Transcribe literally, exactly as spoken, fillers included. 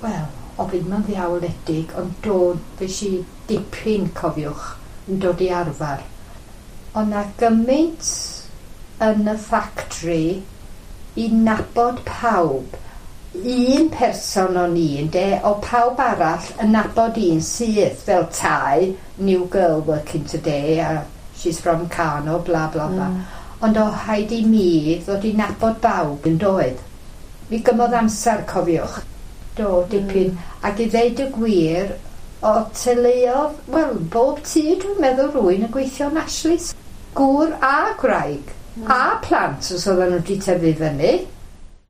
Wel, o fi ddim yn ddiawledig, ond do, fes i dipyn, cofiwch, yn dod i arfer. Ond na gymaint yn y factory i nabod pawb. Un person o'n i, ynde, o pawb arall yn nabod un syth, fel tai, "New girl working today", a "She's from Carno", bla bla bla. Mm. Ond o rhaid i mi ddod i nabod bawb yn doedd. Mi gymodd amser, cofiwch. Do, dipyn. Mm. Ac i ddeud y gwir, o teuluodd, wel, bob tŷ dwi'n meddwl rwy'n yn gweithio yn Ashley's. Gŵr a gwraig. Mm. A plant os oedden nhw wedi tyfu fyny.